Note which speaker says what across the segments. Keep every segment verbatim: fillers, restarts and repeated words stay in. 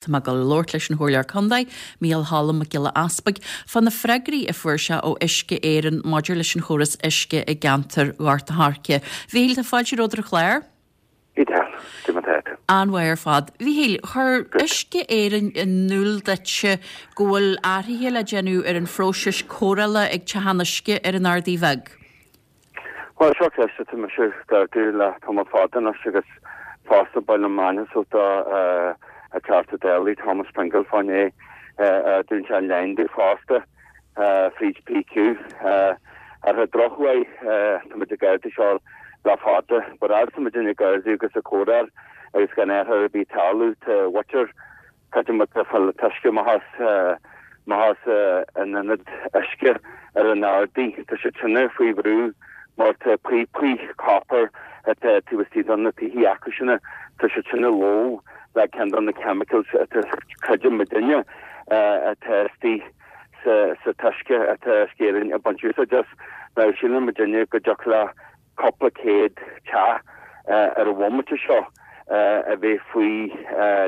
Speaker 1: Tá mé ag dul a labhairt leis an Chomhairleoir Contae, Micheál Cholm Mac Giolla Easpaig, fá na freagraí a fuair sé ó Uisce Éireann maidir leis an chóras uisce i gceantar Ghort a' Choirce. Mhíchíl, tá fáilte romhat ar an chlár? An-mhaith ar fad. Mhíchíl, chuir Uisce Éireann in iúl duitse go bhfuil athruithe le déanamh ar an phróiseas cóireála ag Teach an Uisce ar an Ardaidh Bheag.
Speaker 2: Bhuel, seo ceist atá mise ag ardú le tamall fada anois agus fosta ba mhaith liom m'ainm do an Teachta Dála Thomas Pringle fá choinne é dún sé an line di fosta fríd P Q. Ar an drochuair, tá muid ag ardú seo le fada, but as muid ag ardú agus ag cóireáil agus gan athrú ar bith ag tarlú tá muintir cad muid ag fáil uisce amach as amach as an ionad uisce ar an Ardaidh. Tá siad sin faoi bhrú mar tá píopaí copper atá taobh istigh de na tithe acu sin, tá siad sin lobh le ceann de na chemicals atá, creideann muidinne, atá istigh sa sa t-uisce atá Uisce Éireann ag baint úsáid as. Now síleann muidinne go dtiocfadh le cúpla céad teach ar an bhomaite seo a bheith faoi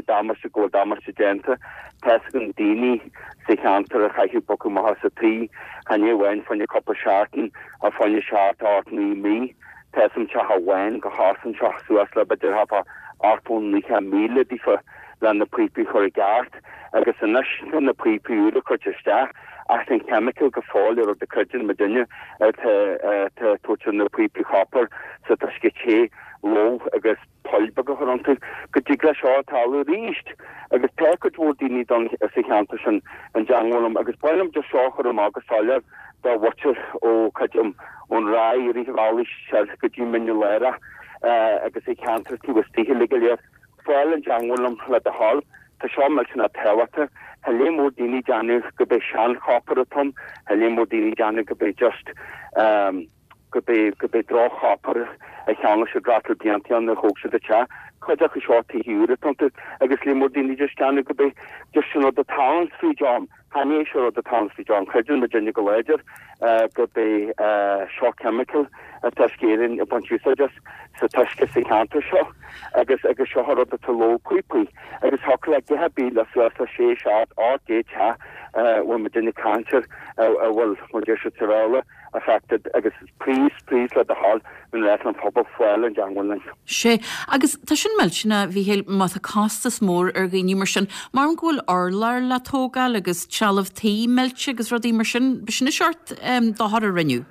Speaker 2: damáiste, go bhfuil damáiste déanta. Tá fhios ag daoine sa cheantar a chaithfidh bogadh amach as a dtithe, chan é amháin fá choinne cúpla seachtain ach fá choinne seacht, ocht, naoi mí. Tá fhios a'm teach amháin go chosain seo suas le b'fhéidir thart fá ochtó, naocha míle daofa le na píopaí a chur i gceart agus anois tá na píopaí úra curtha isteach ach an chemical go fóill ar rud a creideann muidinne atá atá tabhairt ar na píopaí copper sa t-uisce te lobh agus poill beaga a chur iontu go dtig leis seo tarlú arís agus tá cuid mhór daoine don sa cheantar sin i dteangmháil liom agus ba mhaith liom just seo a chur amach go soiléir do mhuintir ó creidim ón Ráth i rith an bhealaigh soir go dtí Mín na Lárach agus i cheantar taobh istigh uilig go léir. Fáil i dteangmháil liom le do thoil. Tá seo millteanach tábhachtach. Tá lear mór daoine ag déanamh go b'é seanchopar atá ann. Tá lear mór daoine ag déanamh go b'é just go b'é go b'é droch-chopar a cheangail siad rátal blianta ann a thóg siad an teach. Cuid acu seo tithe úra atá iontu agus lear mór daoine just déanamh go b'é just sin rud atá ann fríd am. Chan é seo rud atá ann fríd am. Creideann muidinne go láidir gurb é seo chemical atá Uisce Éireann ag baint úsáid as sa t-uisce sa cheantar seo agus agus seo an rud atá lobh píopaí agus thiocfadh le gach ar bith le suas le sé, seacht, ocht gcéad teach a bhfuil muidinne ag caint air a bhfuil, mar a deir siad sa Bhéarla, affected agus please, please le do thoil an leis an phobal fáil i dteangmháil linn.
Speaker 1: Sé, agus tá sin millteanach, a Mhíchíl, má tá costas mór ar dhaoine mar sin, mar go bhfuil urlár le tógáil agus trealamh tí millte agus rudaí mar sin, b'shin an seort dochar a rinneadh.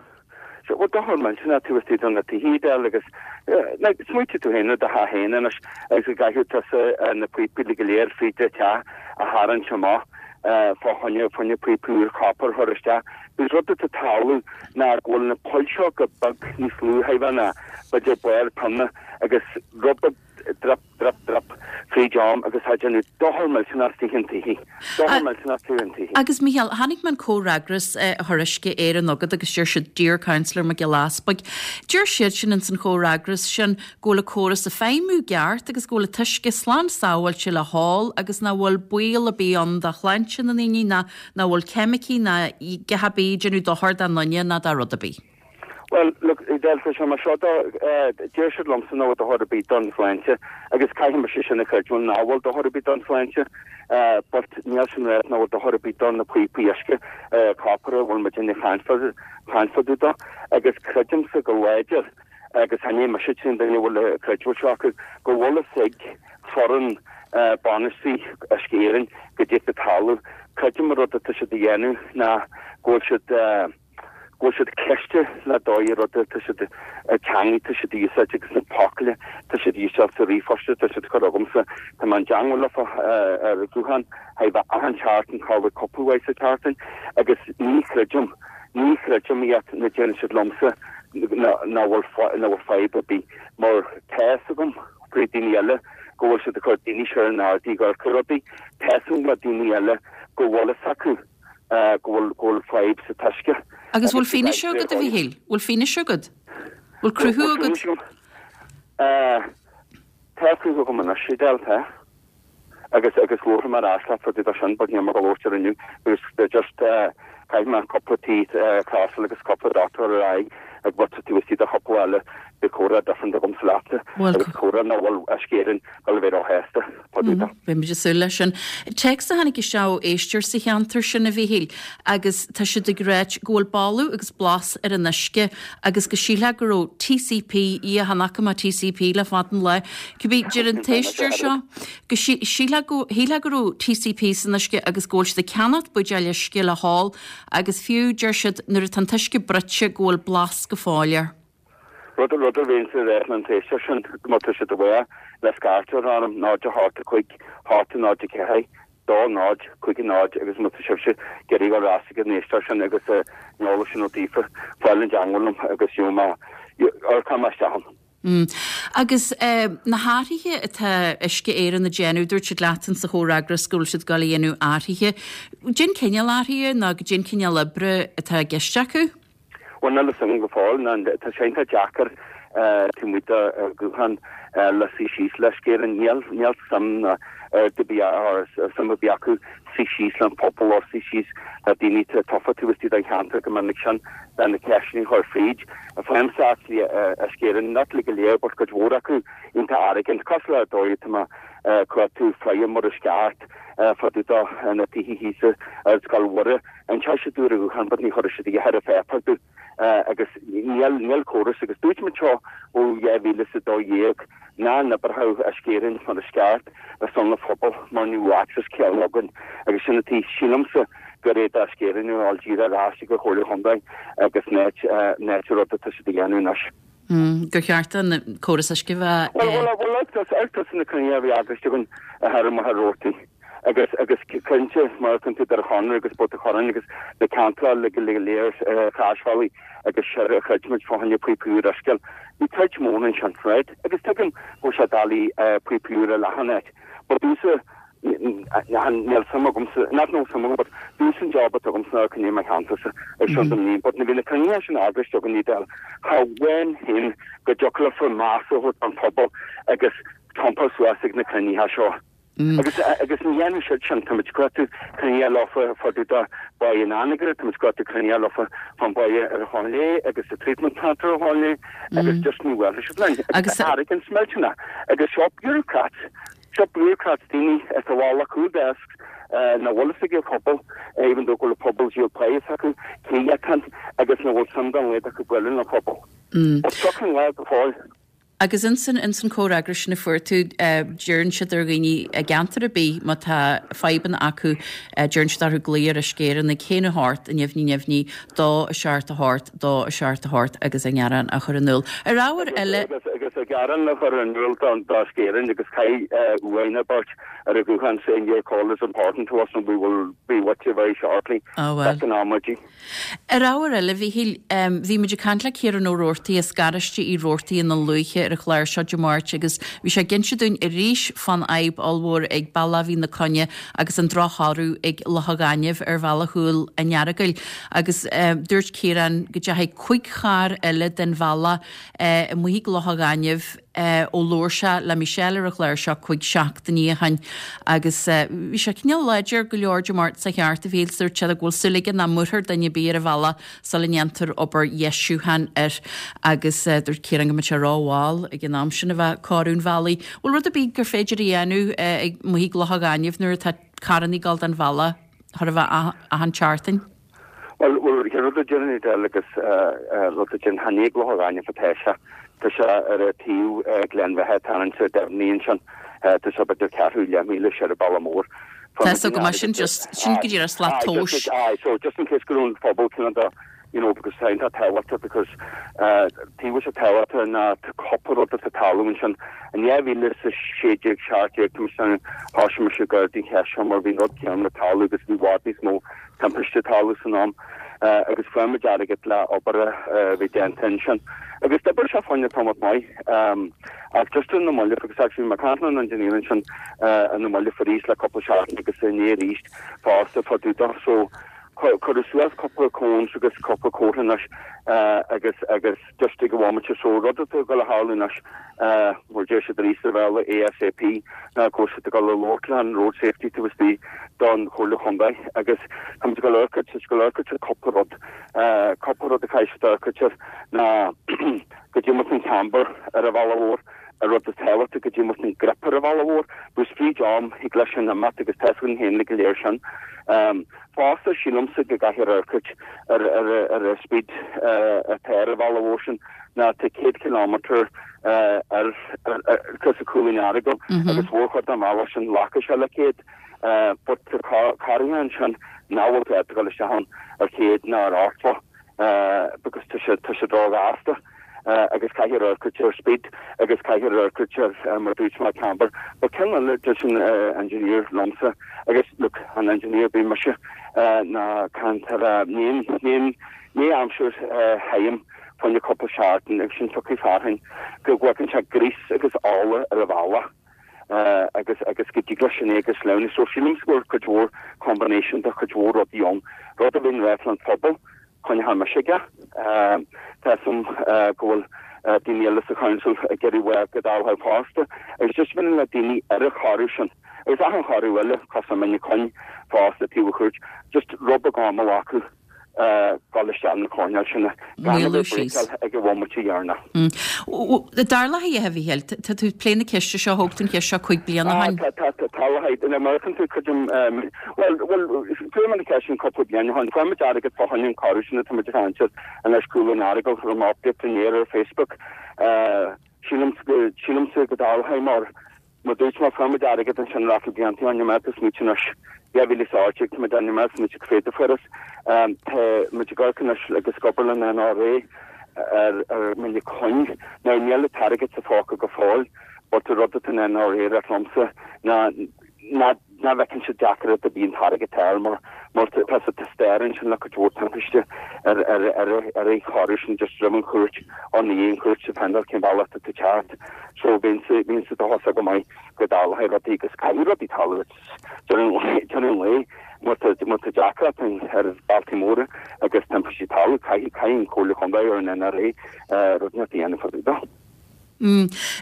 Speaker 2: Sea, bhuel, dochar millteanach taobh istigh de na tithe Edel agus like, smaointigh tú féin ar do theach féin anois agus go gcaithfidh tusa na píopaí go léir fríd do theach a tharraingt amach fá choinne, fá choinne píopaí úr copper a chur isteach. Agus rud atá ag tarlú ná go bhfuil na poill seo go beag níos lú chóir a bheith ná b'fhéidir barr pionna agus rud beag drip, drip, drip fríd am agus tá déanamh dochar millteanach istigh an tithe. Dochar millteanach istigh an tithe.
Speaker 1: Agus Micheál, chonaic mé an comhfhreagras a chuir Uisce Éireann chugat agus deir siad "Dear Councillor Mac Giolla Easpaig". Deir siad sin ins an chomhfhreagras sin go bhfuil an córas ag feidhmiú i gceart agus go bhfuil an t-uisce slán sábháilte le hól agus nach bhfuil baol ar bith ann do shláinte na ndaoine ná nach bhfuil ceimicí ná a dhath ar bith ag déanamh dochar dá nduine ná dá rud ar bith.
Speaker 2: Bhuel, look, Edel, tá sé mar seo do, deir siad liomsa nach bhfuil dochar ar bith don tsláinte agus caithfidh mise sin a chreidiúint nach bhfuil dochar ar bith don tsláinte but níl sin ráite nach bhfuil dochar ar bith do na píopaí uisce copper a bhfuil muid ag caint fá dtaobh de agus creidimse go láidir agus chan é mise an t-aon duine a bhfuil an creidiúint seo acu go bhfuil fhios ag foireann bainistí Uisce Éireann goidé atá ag tarlú. Creidim an rud atá siad a dhéanamh ná go bhfuil siad go bhfuil siad cliste le dóigh rud atá siad teangaidh atá siad a úsáid agus na focail atá siad a úsáid sa ríomhphost atá siad a chur chugamsa. Tá mé i dteangmháil leofa ar an ghuthán chóir a bheith achan tseachtain, chóir a bheith cúpla uair sa tseachtain agus ní chreidim, ní chreidim iad nuair a deireann siad liomsa nach bhfuil nach bhfuil fadhb ar bith mar tá fhios agam faoi daoine eile go bhfuil siad ag cur daoine siar an Ardaidh ag amharc ar rudaí, tá fhios agam le daoine eile go bhfuil fhios acu go bhfuil go bhfuil fadhb sa t-uisce.
Speaker 1: Agus bhfuil fianaise agat, a Mhíchíl? Bhfuil fianaise agat? Bhfuil cruthú agat?
Speaker 2: Tá cruthú agam anois, Edel, tá. Agus agus labharfaidh mé ar ais leat fá dtaobh de sin, but níl mé ag labhairt air inniu because just caithfidh mé cúpla tí a chrosáil agus cúpla dochtúir ar aghaidh ag bheith taobh istigh de chúpla eile Beidh comhrá different agamsa leatsa agus comhrá nach bhfuil Uisce Éireann ag dul a bheith róshásta fá dtaobh de.
Speaker 1: Beimid ag súil leis sin. Téacs a tháinig isteach ó éisteoir sa cheantar sin, a Mhíchíl, agus tá siad ag ráit go bhfuil boladh agus blas ar an uisce agus go sílfeá go raibh TCP, ia, chan fhaca mé TCP le fada an lá, cibé, deir an t-éisteoir seo go sílfeá go shílfeá go raibh TCP san uisce agus go bhfuil siad ag ceannacht buidéil uisce le hól agus fiú, deir siad, nuair atá an t-uisce bruite go bhfuil blas go fóill air.
Speaker 2: Rud rud a bhíonn sa réir an t-éisteoir sin má tá siad uaidh le scairteadh orm náid a hocht a cúig hocht náid a ceathair dó náid cúig náid agus má tá sibhse ag iarraidh dul ar ais ag an éisteoir sin agus an eolas sin ó daofa fáil i dteangmháil liom agus gheobhaidh mé amharcfaidh mé isteach ann.
Speaker 1: Mm. Agus eh, na hathruithe atá Uisce Éireann ag déanamh, dúirt siad leat sa chomhfhreagras go bhfuil siad ag dul a dhéanamh athruithe. Cén cineál athruithe nó cén cineál oibre atá i gceist acu?
Speaker 2: Bhuel, níl a fhios agam go fóill, ná tá sé iontach deacair taobh amuigh de ghuthán le suí síos le Uisce Éireann. Níl níl suim ná ar bith or suim ar bith acu suí síos le an pobal or suí síos le daoine atá tofa taobh istigh den cheantar go minic sin le na ceisteanna a chur fríd. Faighimse actually Uisce Éireann, not le go léir but cuid mhór acu iontach arrogant, cosúil le dóigh atá mé chuir tú freisin mar is ceart fá dtaobh de na tithe thíos ar Scoil Mhuire. Inseoidh siad dúinn ar ghuthán but ní chuirfidh siad a dhath ar an pháipéar dúinn agus níl níl córas agus dúirt muid seo ó dhá mhíle is a dó dhéag nach n-oibreodh Uisce Éireann mar is ceart ar son na phobal mar ní bheadh access céanna againn agus sin atá sílimse gur é d'Uisce Éireann a fháil díreach ar ais ag an Chomhairle Chontae agus net net rud atá siad a dhéanamh anois.
Speaker 1: Gur cheart an córas uisce bheith.
Speaker 2: Bhuel bhuel bhuel ag tús na cruinnithe a bhí eagraithe againn a thar Machaire Rabhartaigh agus agus cinnte mar chun tú ar Chonradh agus Port an Chorráin agus na ceantracha le go léir Chaisbhealaigh agus seo a chreid muid fá choinne píopaí úra a fheiceáil. Bhí troid mór ansin, right? Agus tuigim go bhfuil sé doiligh píopaí úra a leathadh áit. But domhsa níl suim agamsa, not níl suim agam, but domhsa an job atá agamsa ná coinneáil mo cheantarsa ar son don mbliain. But nuair bhí na cruinnithe sin eagraithe againn ní dal cha bhain féin go dtiocfadh le fir meas a thabhairt don phobal agus trompa suas ag na cruinnithe seo. Agus agus ní dhéanann siad sin, táimid ag cuartú cruinnithe leofa fá dtaobh de bhaile an Anagaire, táimid ag cuartú cruinnithe leofa fán bhaile ar an Chlochán Léith agus the treatment plant ar an Chlochán Léith agus just ní bhfuil siad linn. Agus arrogance millteanach agus seo bureaucrats, seo bureaucrats daoine atá bhall acu desks nach bhfuil fhios ag an phobal, even though go bhfuil an pobal díol praghas acu, cé atá agus nach bhfuil suim dá laghad acu bualadh le pobal. Ó seo an lá go fóill.
Speaker 1: Agus insan insan chomhfhreagras sin a fuair tú, deireann siad ar dhaoine i gceantar ar bith má tá fadhbanna acu, deireann siad orthu glaoch ar Uisce Éireann ag haon a hocht, neamhní neamhní, dó a seacht a hocht, dó a seacht a hocht agus a ngearán a chur in iúl. Ar ábhar eile.
Speaker 2: Agus agus a ghearán a chur in iúl don d'Uisce Éireann agus caithfidh uainn a beirt ar a ghuthán saying your call is important to us and we will be with you very shortly.
Speaker 1: Oh well.
Speaker 2: Back in amaidí.
Speaker 1: Ar ábhar eile, Mhíchíl, bhí muid ag caint le Ciarán Ó Roarty as Garáiste Uí Roarty ina Lúiche ar an chlár seo Dé Máirt agus bhí sé ag inse dúinn arís fán fhadhb ollmhór ag Bealach Mhín na Coinne agus an drochthoradh ag Loch an Ghainimh ar bhealach Chúil an Earagail agus dúirt Ciarán go dteachaigh cúig charr eile den bhealach amuigh ag Loch an Ghainimh ó labhair sé le Michelle ar an chlár seo cúig seachtainí ó shin agus bhí sé cineál láidir go leor Dé Máirt sa cheart a bhí dúirt sé go bhfuil súil aige nach mbuailfear duine ar bith ar an bhealach sula ndéantar obair dheisiúcháin air agus dúirt Ciarán go mbeadh sé rómhall ag an am sin a bheith ag cóiriú an bhealaigh. Bhfuil rud ar bith gur féidir a dhéanamh ag amuigh ag Loch an Ghainimh nuair atá carranna ag dul den bhealach chóir a bheith achan tseachtain?
Speaker 2: Bhuel, bhuel, rud a déanann eile agus rud a déanann chan ag Loch an Ghainimh atá sé. Tá sé ar a taobh Gleann Bheatha tá an Deimhní ansin. Tá sé b'fhéidir ceathrú leath míle siar an bealach mór.
Speaker 1: Tá so go maith sin just sin go dtí ar slat tomhais.
Speaker 2: Aye, so just in case go raibh an phobal cineál de you know, because tá tá tábhachtach because taobh sé tábhachtach ná tá cúpla rud atá tarlú ansin. In dhá mhíle is a sé déag seacht déag tá sé thosaigh mise ag ardú cheist seo mar bhí rud céanna le tarlú agus bhí i bhfad níos mó timpiste tarlú san am agus fuair muid airgead le obair a bhí déanta ansin. Agus d'oibir sé fá choinne tamall maith ach just in na mallaibh agus actually mé ag caint le an engineer ansin in na mallaibh arís le cúpla seachtain agus inné arís fosta fá dtaobh de so Cuireadh suas cúpla cones agus cúpla comhartha anois agus agus just ag an bhomaite so rud atá ag dul a tharlú anois mar deir siad arís ar bhealach ASAP ná go bhfuil siad ag dul a labhairt le an road safety taobh istigh don Chomhairle Chontae agus tá muid ag dul a amharc ag dul a amharc ar cúpla rud cúpla rud a chaithfidh siad a amharc air ná go dtiocfadh an camber ar an bhealach mhór an rud is tábhachtaí go dtiocfadh an grip ar an bhealach mhór because fríd am thig leis sin imeacht agus tá a fhios againn féin go léir sin. Fosta sílimse go gcaithfear amharc ar ar ar an speed atá ar an bhealach mhór sin ná tá céad kilometre ar cos Cúil an Earagail agus mhórchuid den bhealach sin glacfaidh sé le céad but tá carranna ansin nach bhfuil cead dul isteach ann ar chéad ná ar ochtó because tá sé tá sé róghasta. agus caithfear amharc ar speed agus caithfear amharc ar mar dúirt mé camber. But ceann eile dúirt an engineer liomsa agus look an engineer bí mise ná cantar ní ní ní aimsir thirim fá choinne cúpla seachtain agus sin tiocfaidh fearthainn go bhfeiceann sé gríos agus ola ar an bhealach agus agus go dtig leis sin é agus sleamhnú so sílim go bhfuil cuid mhór combination de chuid mhór rudaí ann rud a bhíonn réidh an phobal coinneoidh mise aige. Tá a fhios agam go bhfuil daoine eile sa council ag iarraidh uaidh go dtarlódh fosta agus just bhíonn le daoine ar an chorradh sin agus achan chorradh eile cosúil le Mín an Choinn fosta taobh an chúirt just rud beag ama a ghlacadh dul isteach na coirnéil sin gan a bheith ag bréiceáil ag an bhomaite dheireanach.
Speaker 1: Tarlaithe a Mhíchíl, tá tú ag plé na ceiste seo thóg tú an cheist seo cúig bliana ó shin.
Speaker 2: Tá tá tá tarlaithe in American tú cuid well well fuair mé an cheist sin cúpla bliain ó shin fuair muid airgead fá choinne an chorradh sin atá muid ag caint air anois Cúl an Earagail chuir mé update inné ar Facebook sílimse go dtarlóidh mar Mar dúirt mé, fuair muid airgead ansin rachaidh blianta ann, níl mé ag smaoitiú anois, dhá mhíle is a hocht déag, tá muid ann, níl mé ag smaoitiú cad a fuarthas. Tá muid ag amharc anois agus ag obair le an NRA ar ar Mín an Choinn. Now níl an t-airgead sa phóca go fóill but an rud atá an NRA ag rá liomsa ná ná ná bhfeiceann siad deacracht ar bith an t-airgead a fháil mar mar tá sa stair ansin le cuid mhór timpiste ar ar ar ar an chorradh sin just roimh an chúirt nó i ndiaidh an chúirt depending cén bealach atá tú teacht so bíonn sa bíonn sa dóchas go maith go dtarlóidh rudaí agus caithfidh rudaí tarlú deireadh an lae má tá má tá deacracht ar bhealtaí móra agus timpistí ag tarlú caithfidh caithfidh an Chomhairle Chontae or an NRA rud inteacht a dhéanamh fá dtaobh de.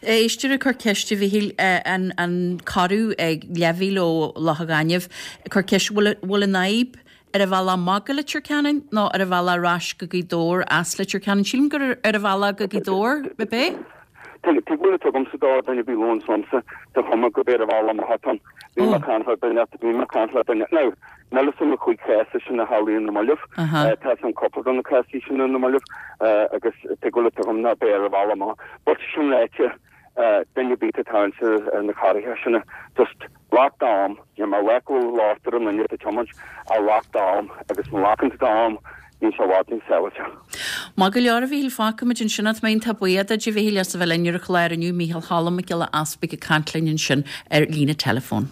Speaker 1: Éisteoir ag cur ceiste, a Mhíchíl, an an corradh ag leathmhíle ó Loch an Ghainimh, ag cur ceiste bhfuil bhfuil an fhadhb ar an bhealach amach go Leitir Ceanainn nó ar an bhealach ar ais go Gaoth Dobhair as Leitir Ceanainn? Sílim gur ar an bhealach go Gaoth Dobhair, ab é?
Speaker 2: Tuig bhfuil a tugamsa dá duine bhí lón liomsa tá cuma go b'é ar an bhealach amach atá ann. Bhí mé ag caint le duine, bhí mé ag caint le duine. Now, níl a fhios agam na cúig chás sin a tharlaíonn na mallaibh. Tá a fhios agam cúpla de na cásaí sin na mallaibh agus tuig bhfuil a tugaim ná b'é ar an bhealach amach. But sin ráite, duine ar bith atá ins na carraithe sin, just glac d'am, níl mé ag rá go bhfuil locht ar an nduine atá ag tiomáint, ach glac d'am agus má ghlacann tú d'am, bíonn sé i bhfad níos sábháilte.
Speaker 1: Maith go leor a Mhíchíl, fágfaimid ansin é. Tá mé iontach buíoch duit a Mhíchíl as a bheith linn ar an chlár inniu, Mícheál Cholm Mac Giolla Easpaig ag caint linn ansin ar líne teileafóin.